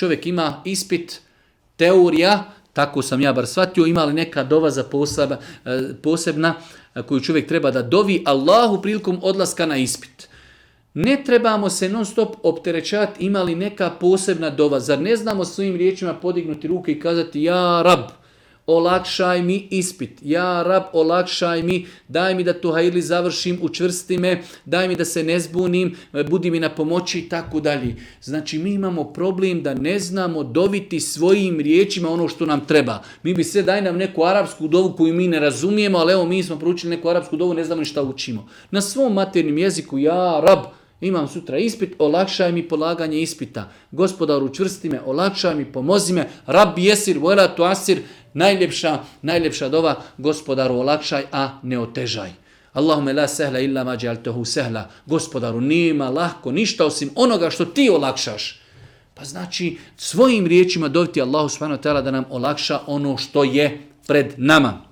čovjek ima ispit, teorija, tako sam ja bar shvatio, ima li neka dova za posebna koju čovjek treba da dovi Allahu prilikom odlaska na ispit. Ne trebamo se non stop opterećati ima li neka posebna dova. Zar ne znamo svojim riječima podignuti ruke i kazati ja Rab, olakšaj mi ispit. Ja Rab, olakšaj mi, daj mi da tu hajli završim, učvrsti me, daj mi da se ne zbunim, budi mi na pomoći i tako dalje. Znači mi imamo problem da ne znamo doviti svojim riječima ono što nam treba. Mi bi sve daj nam neku arapsku dovu koju mi ne razumijemo, ali evo mi smo proučili neku arapsku dovu, ne znamo ni šta učimo. Na svom maternjem jeziku ja Rab, imam sutra ispit, olakšaj mi polaganje ispita. Gospodaru, učvrsti me, olakšaj mi, pomozi me. Rabbi jesir, vela tu asir, najljepša dova, gospodaru, olakšaj, a ne otežaj. Allahume la sehla illa ma džaltehu sehla. Gospodaru, nima lahko ništa osim onoga što ti olakšaš. Pa znači, svojim riječima doviti Allahu subhanahu wa ta'ala da nam olakša ono što je pred nama.